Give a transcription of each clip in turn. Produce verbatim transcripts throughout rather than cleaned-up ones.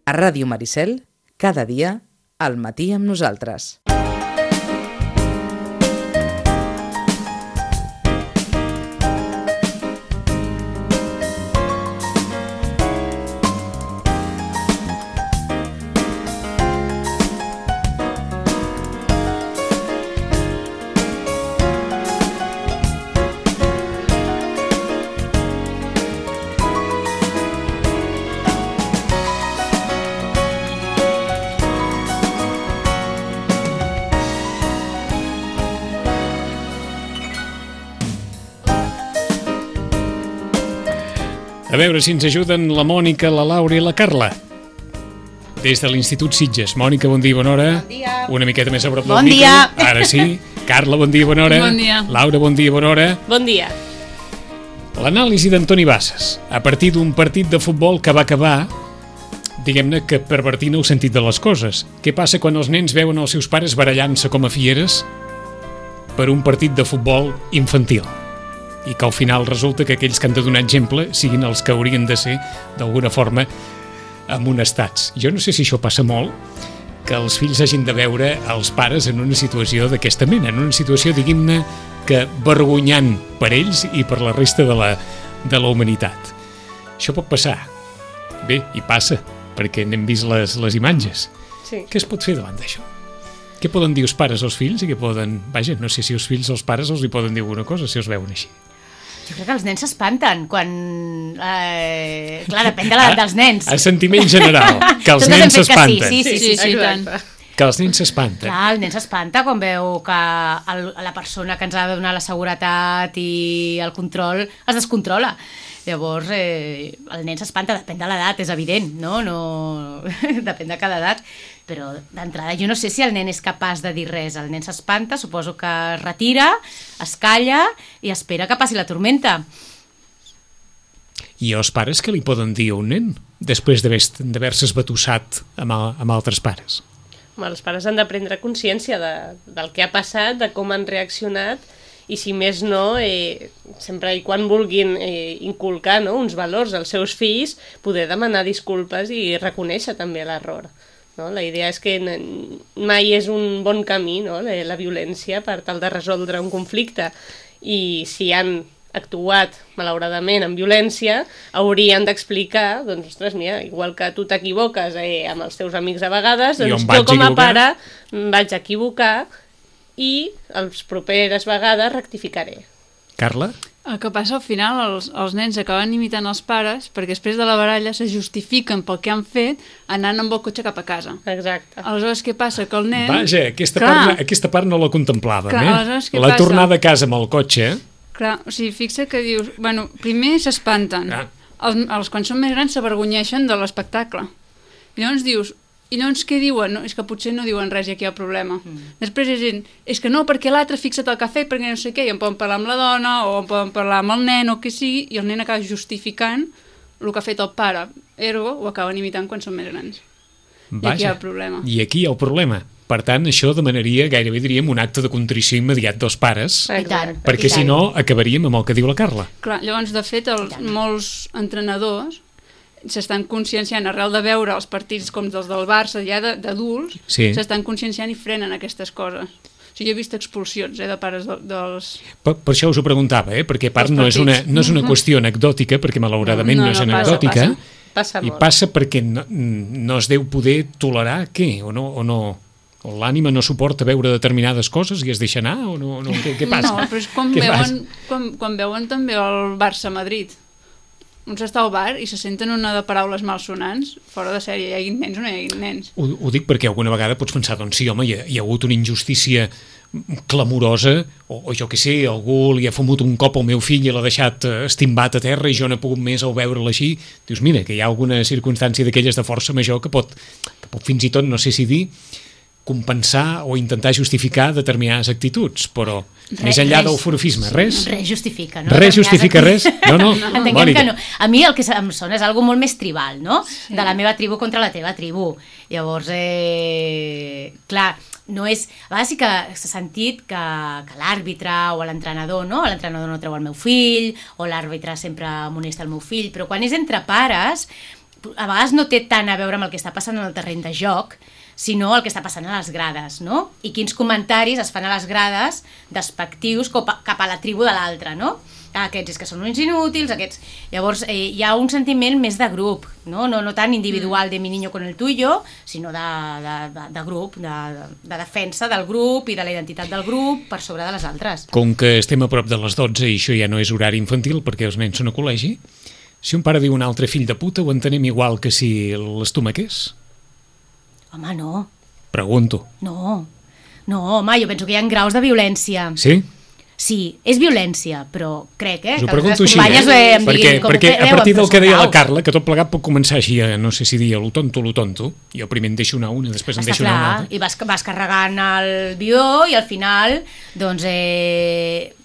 A Ràdio Maricel, cada dia, al matí amb nosaltres. A veure si ens ajuden la Mònica, la Laura i la Carla. Des de l'Institut Sitges. Mònica, bon dia i bona hora. Bon dia. Una miqueta més a prop del Bon micro. dia. Ara sí. Carla, bon dia i bona hora. Bon dia. Laura, bon dia i bona hora. Bon dia. L'anàlisi d'Antoni Bassas, a partir d'un partit de futbol que va acabar, diguem-ne que pervertint el sentit de les coses. Què passa quan els nens veuen els seus pares barallant-se com a fieres per un partit de futbol infantil? I que al final resulta que aquells que han de donar exemple siguin els que haurien de ser, d'alguna forma, amonestats. Jo no sé si això passa molt, que els fills hagin de veure els pares en una situació d'aquesta mena, en una situació, diguem-ne, que vergonyant per ells i per la resta de la, de la humanitat. Això pot passar. Bé, i passa, perquè n'hem vist les, les imatges. Sí. Què es pot fer davant d'això? Què poden dir els pares als fills i què poden... Vaja, no sé si els fills als pares els hi poden dir alguna cosa si els veuen així. Jo crec que els nens s'espanten quan... Eh, clar, depèn de l'edat dels nens. A sentiment general, que els Tots hem nens fet que s'espanten. Sí, sí, sí, sí, sí, sí, tant. Que els nens s'espanten. Clar, el nen s'espanta quan veu que el, la persona que ens ha de donar la seguretat i el control es descontrola. Llavors, eh, el nen s'espanta, depèn de l'edat, és evident, no? no... depèn de cada edat, però d'entrada jo no sé si el nen és capaç de dir res. El nen s'espanta, suposo que es retira, es calla i espera que passi la tormenta. I els pares què li poden dir a un nen després d'haver-se esbatussat amb, amb altres pares? Home, els pares han de prendre consciència de, del que ha passat, de com han reaccionat, i si més no, eh, sempre i quan vulguin eh, inculcar, no, uns valors als seus fills, poder demanar disculpes i reconèixer també l'error. No? La idea és que mai és un bon camí, no? la, la violència per tal de resoldre un conflicte, i si han actuat malauradament amb violència, haurien d'explicar, doncs, ostres, mira, igual que tu t'equivoques eh, amb els teus amics a vegades, doncs jo com a pare em vaig equivocar i les properes vegades rectificaré. Carla? El que passa al final, els, els nens acaben imitant els pares perquè després de la baralla se justifiquen pel que han fet anant amb el cotxe cap a casa. Exacte. Aleshores, què passa? Que el nen... Vaja, aquesta, Clar. part, aquesta part no la contemplàvem, Clar, eh? aleshores, què La passa? tornada a casa amb el cotxe... Clar, o sigui, fixa que dius... Bueno, primer s'espanten. Ah. Els, els, quan són més grans s'avergonyeixen de l'espectacle. I llavors dius... I llavors què diuen? No, és que potser no diuen res i aquí hi ha problema. Mm. Després és gent, és que no, perquè l'altre fixa't el que ha fet, perquè no sé què, i en poden parlar amb la dona, o en poden parlar amb el nen, o què sigui, i el nen acaba justificant el que ha fet el pare. Ergo, ho acaben imitant quan són més grans. Vaja. I aquí hi ha el problema. I aquí hi ha el problema. Per tant, això demanaria, gairebé diríem, un acte de contrició immediat dels pares, I tant, perquè i tant. si no acabaríem amb el que diu la Carla. Clar, llavors, de fet, els, molts entrenadors s'estan conscienciant arrel de veure els partits com dels del Barça ja d'adults, Sí. s'estan conscienciant i frenen aquestes coses. O sigui, jo he vist expulsions eh, de pares de, dels... Per, per això us ho preguntava, eh? Perquè a part Els no és, una, partits. no és una qüestió anecdòtica, perquè malauradament no, No, no és no, passa, anecdòtica, passa. Passa i molt. passa perquè no, no es deu poder tolerar què, o no, o no, o l'ànima no suporta veure determinades coses i es deixa anar, o no, no què, què passa? No, però és quan Què veuen, quan, quan veuen també el Barça-Madrid. Uns està al bar i se senten una de paraules malsonants, fora de sèrie, hi hagi nens o no hi hagi nens. Ho, ho dic perquè alguna vegada pots pensar, doncs sí, home, hi ha, hi ha hagut una injustícia clamorosa, o, o jo què sé, algú li ha fumut un cop al meu fill i l'ha deixat eh, estimbat a terra i jo no he pogut més al veure'l així. Dius, mira, que hi ha alguna circumstància d'aquelles de força major que pot, que pot fins i tot, no sé si dir, compensar o intentar justificar determinades actituds, però Res, més enllà res. del forofisme, res? Res justifica, no? Res justifica res? No, no, Entenguem Mònica. que no. A mi el que em sona és algo molt més tribal, no? Sí. De la meva tribu contra la teva tribu. Llavors, eh, clar, no és... A vegades sí que s'ha sentit que, que l'àrbitre o l'entrenador, no? L'entrenador no treu el meu fill, o l'àrbitre sempre amonesta el meu fill, però quan és entre pares, a vegades no té tant a veure amb el que està passant en el terreny de joc, sinó el que està passant a les grades, no? I quins comentaris es fan a les grades despectius cap a la tribu de l'altre, no? Aquests és que són uns inútils, aquests... Llavors, eh, hi ha un sentiment més de grup, no? No, no tan individual de mi niño con el tuyo, sinó de, de, de, de grup, de, de defensa del grup i de la identitat del grup per sobre de les altres. Com que estem a prop de les dotze i això ja no és horari infantil perquè els nens són a col·legi, si un pare diu un altre fill de puta, ho entenem igual que si l'estomaqués? Home, no. Pregunto. No, no, home, jo penso que hi ha graus de violència. Sí? Sí, és violència, però crec eh, Us ho que pregunto les així, companyes eh? em perquè, diguin com perquè ho a feu, partir del que deia la grau. Carla, que tot plegat pot començar així a, no sé si dir, lo tonto, lo tonto, jo primer en deixo una una, després en Està deixo una clar, altra. i vas, vas carregant el bidó i al final doncs eh,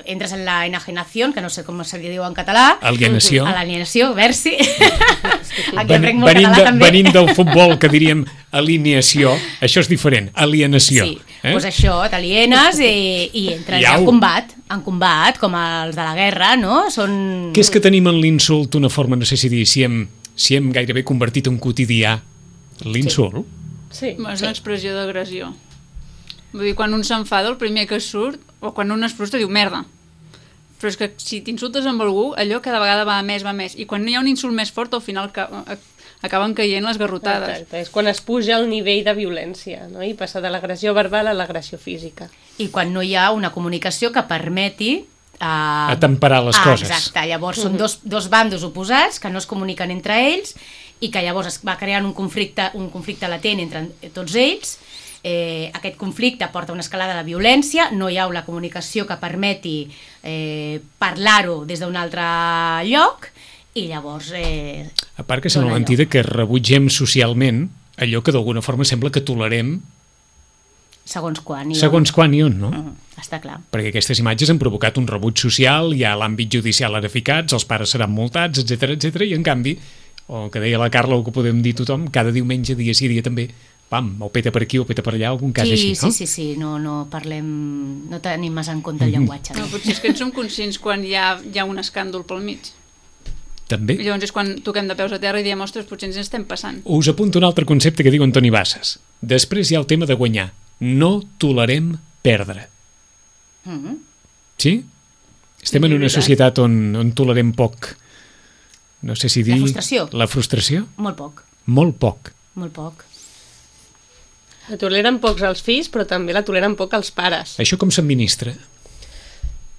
entres en la enajenació, que no sé com se diu en català. Alienació. A l'alienació, versi. Aquí Ven, aprenc molt venint, català de, també. venint del futbol, que diríem alineació, això és diferent, alienació. Sí, eh? doncs això, t'alienes i, i entres ja en combat, en combat, com els de la guerra, no? Són... Què és que tenim en l'insult una forma, no sé si dir, si hem, si hem gairebé convertit en quotidià l'insult? Sí. És una expressió d'agressió. Vull dir, quan un s'enfada, el primer que surt, o quan un es frustra, diu merda. Però és que si t'insultes amb algú, allò cada vegada va a més, va a més. I quan hi ha un insult més fort, al final ca acaben caient les garrotades. Exacte, és quan es puja el nivell de violència, no? I passa de l'agressió verbal a l'agressió física. I quan no hi ha una comunicació que permeti Uh, a temperar les ah, coses. Exacte, llavors són dos, dos bandos oposats que no es comuniquen entre ells i que llavors es va creant un conflicte, un conflicte latent entre tots ells. Eh, aquest conflicte porta una escalada de violència, no hi ha una comunicació que permeti eh, parlar-ho des d'un altre lloc i llavors... Eh, a part que sembla mentida que rebutgem socialment allò que d'alguna forma sembla que tolerem segons quan i on. Segons quan i on, no? Uh -huh, està clar. Perquè aquestes imatges han provocat un rebuig social, hi ha l'àmbit judicial ara ficats, els pares seran multats, etcètera, etcètera, i en canvi, o que deia la Carla, o que podem dir tothom, cada diumenge, dia sí, dia també, pam, o peta per aquí o peta per allà, algun cas sí, així, no? Sí, sí, sí, no, no parlem, no tenim massa en compte el llenguatge. No, potser és que en som conscients quan hi ha, hi ha un escàndol pel mig. També. I llavors és quan toquem de peus a terra i diem, ostres, potser ens estem passant. Us apunto un altre concepte que diu Antoni Bassas. Després hi ha el tema de guanyar. No tolerem perdre. Mm -hmm. Sí? Estem en una societat on, on tolerem poc. No sé si dir... La frustració. La frustració? Molt poc. Molt poc. Molt poc. La toleren pocs els fills, però també la toleren poc els pares. Això com s'administra?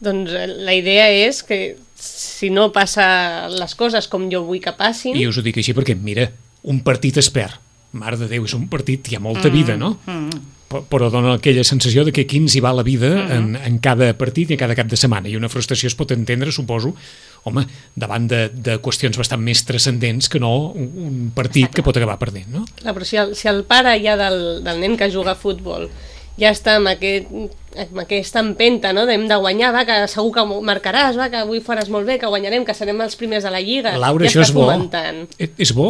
Doncs la idea és que si no passa les coses com jo vull que passin... I us ho dic així perquè, mira, un partit es perd. Mare de Déu, és un partit, hi ha molta vida, no? Mm. Però dona aquella sensació de que aquí ens hi va la vida mm-hmm. en, en cada partit i en cada cap de setmana. I una frustració es pot entendre, suposo, home, davant de, de qüestions bastant més transcendents que no un, un partit que pot acabar perdent, no? Clar, però si el, si el pare ja del, del nen que juga a futbol ja està amb, aquest, amb aquesta empenta, no? Hem de guanyar, va, que segur que marcaràs, va, que avui faràs molt bé, que guanyarem, que serem els primers de la Lliga. Laura, ja això és bo. fomentant. És bo?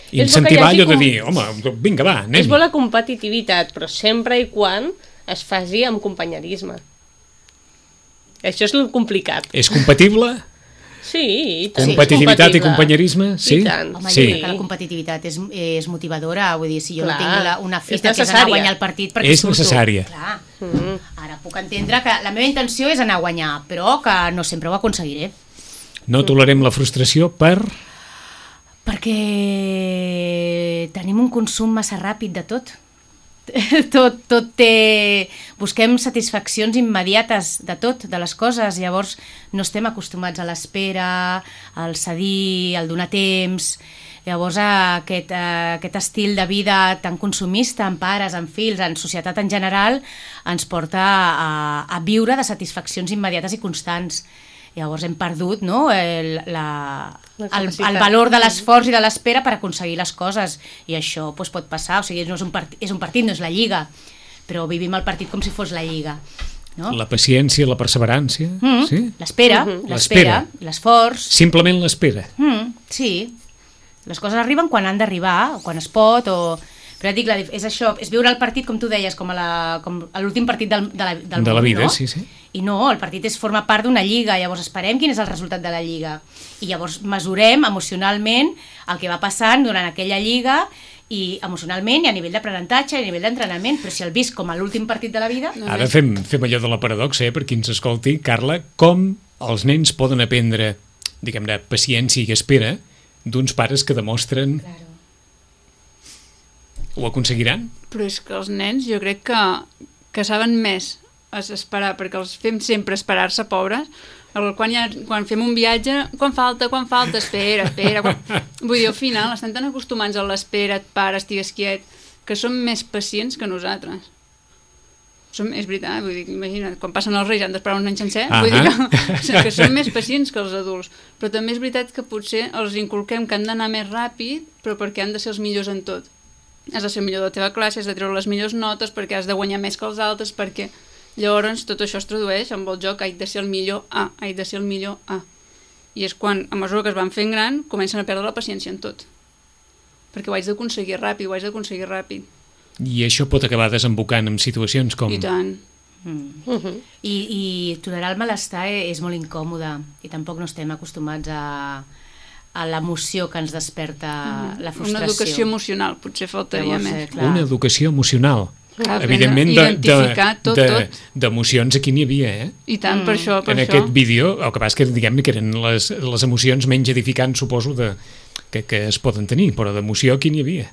És Incentivar allò de com... dir, home, vinga, va, anem. És bo la competitivitat, però sempre i quan es faci amb companyerisme. Això és el complicat. És compatible? Sí, i tant. Competitivitat sí, i companyerisme? Sí? I tant. Home, sí. jo crec que la competitivitat és, és motivadora, vull dir, si jo Clar, no tinc la, una fita és que és anar a guanyar el partit perquè És surto. necessària. Clar. Mm. Ara puc entendre que la meva intenció és anar a guanyar, però que no sempre ho aconseguiré. No tolerem la frustració per... Perquè tenim un consum massa ràpid de tot. tot, tot té... Busquem satisfaccions immediates de tot, de les coses, llavors no estem acostumats a l'espera, al cedir, al donar temps. Llavors aquest, aquest estil de vida tan consumista, en pares, en fills, en societat en general, ens porta a, a viure de satisfaccions immediates i constants. Llavors hem perdut, no, el, la, el, el valor de l'esforç i de l'espera per aconseguir les coses, i això pues, pot passar, o sigui, no és, un part, és un partit, no és la Lliga, però vivim el partit com si fos la Lliga. No? La paciència, la perseverança... Mm, sí? L'espera, mm -hmm. l'espera, l'esforç... Simplement l'espera. Mm, sí, les coses arriben quan han d'arribar, o quan es pot, o... Però et dic, és això, és viure el partit, com tu deies, com a l'últim partit del, de la, del de la món, vida, no? sí, sí. I no, el partit és forma part d'una lliga, llavors esperem quin és el resultat de la lliga. I llavors mesurem emocionalment el que va passant durant aquella lliga i emocionalment i a nivell d'aprenentatge i a nivell d'entrenament, però si el visc com a l'últim partit de la vida... Ara fem, fem allò de la paradoxa, eh, per qui ens escolti. Carla, com els nens poden aprendre, diguem-ne, paciència i espera d'uns pares que demostren... Claro. Ho aconseguiran? Però és que els nens jo crec que, que saben més a esperar, perquè els fem sempre esperar-se, pobres. Quan, ha, quan fem un viatge, quan falta, quan falta, espera, espera... Quan... Vull dir, al final estan tan acostumats a l'espera, et pare, estigues quiet, que són més pacients que nosaltres. Som, és veritat, vull dir, imagina't, quan passen els reis han d'esperar un any sencer, uh-huh. vull dir que, que són més pacients que els adults. Però també és veritat que potser els inculquem que han d'anar més ràpid, però perquè han de ser els millors en tot. Has de ser el millor de la teva classe, has de treure les millors notes perquè has de guanyar més que els altres, perquè llavors tot això es tradueix amb el joc haig de ser el millor A, haig de ser el millor A. I és quan, a mesura que es van fent gran, comencen a perdre la paciència en tot. Perquè ho haig d'aconseguir ràpid, ho haig d'aconseguir ràpid. I això pot acabar desembocant en situacions com... I tant. Mm. Uh-huh. I, I tolerar el malestar és molt incòmode i tampoc no estem acostumats a... a l'emoció que ens desperta mm. la frustració. Una educació emocional, potser faltaria més. Clar. Una educació emocional. Clar, evidentment, identificar de, tot, de, tot. D'emocions aquí n'hi havia, eh? I tant, mm. per això, per en això. En aquest vídeo, el que passa que, diguem-ne, que eren les, les emocions menys edificants, suposo, de, que, que es poden tenir, però d'emoció aquí n'hi havia.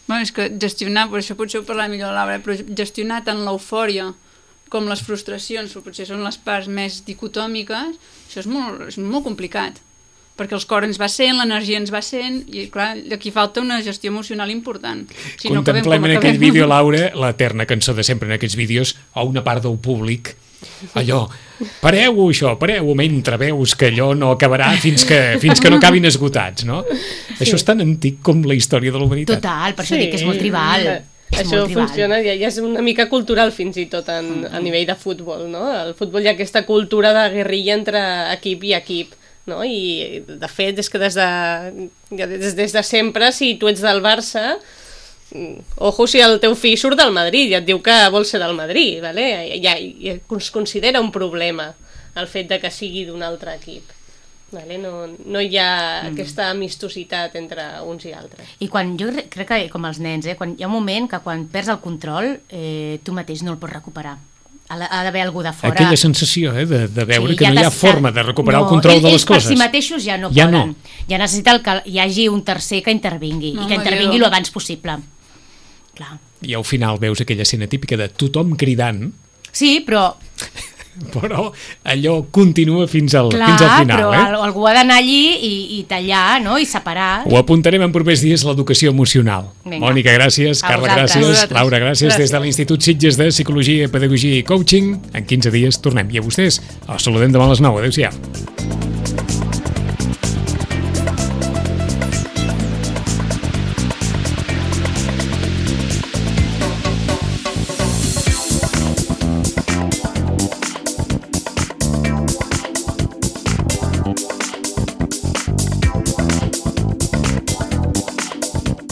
Bueno, és que gestionar, per això potser ho parlarà millor Laura, però gestionar tant l'eufòria com les frustracions, potser són les parts més dicotòmiques, això és molt, és molt complicat. Perquè el cor ens va sent, l'energia ens va sent, i clar, aquí falta una gestió emocional important. Si Contemplem no en aquell vídeo, Laura, l'eterna cançó de sempre en aquests vídeos, o una part del públic, allò, pareu això, pareu mentre veus que allò no acabarà fins que, fins que no acabin esgotats, no? Sí. Això és tan antic com la història de la humanitat. Total, per això sí. dic que és molt tribal. És això funciona, ja, ja és una mica cultural fins i tot en, a nivell de futbol, no? El futbol hi ha aquesta cultura de guerrilla entre equip i equip, no? I de fet és que des de, des, des de sempre, si tu ets del Barça, ojo si el teu fill surt del Madrid i et diu que vol ser del Madrid, vale? Ja, ja es considera un problema el fet de que sigui d'un altre equip. Vale? No, no hi ha mm. aquesta amistositat entre uns i altres. I quan, jo crec que com els nens, eh, quan hi ha un moment que quan perds el control eh, tu mateix no el pots recuperar. Ha d'haver algú de fora. Aquella sensació, eh, de, de veure sí, que ja no hi ha forma de recuperar no, el control de les coses. Ells per si mateixos ja no ja poden. No. Ja necessita el que hi hagi un tercer que intervingui, no, i que intervingui el abans possible. Clar. I al final veus aquella escena típica de tothom cridant. Sí, però... però allò continua fins al, clar, fins al final. Clar, però eh? algú ha d'anar allí i, i tallar, no? I separar. Ho apuntarem en propers dies, l'educació emocional. Venga. Mònica, gràcies. A Carla, vosaltres. gràcies. Laura, gràcies. gràcies. Des de l'Institut Sitges de Psicologia, Pedagogia i Coaching. En quinze dies tornem. I a vostès els saludem demà a les nou. Adéu-siau.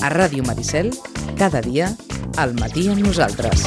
A Ràdio Maricel, cada dia, al matí amb nosaltres.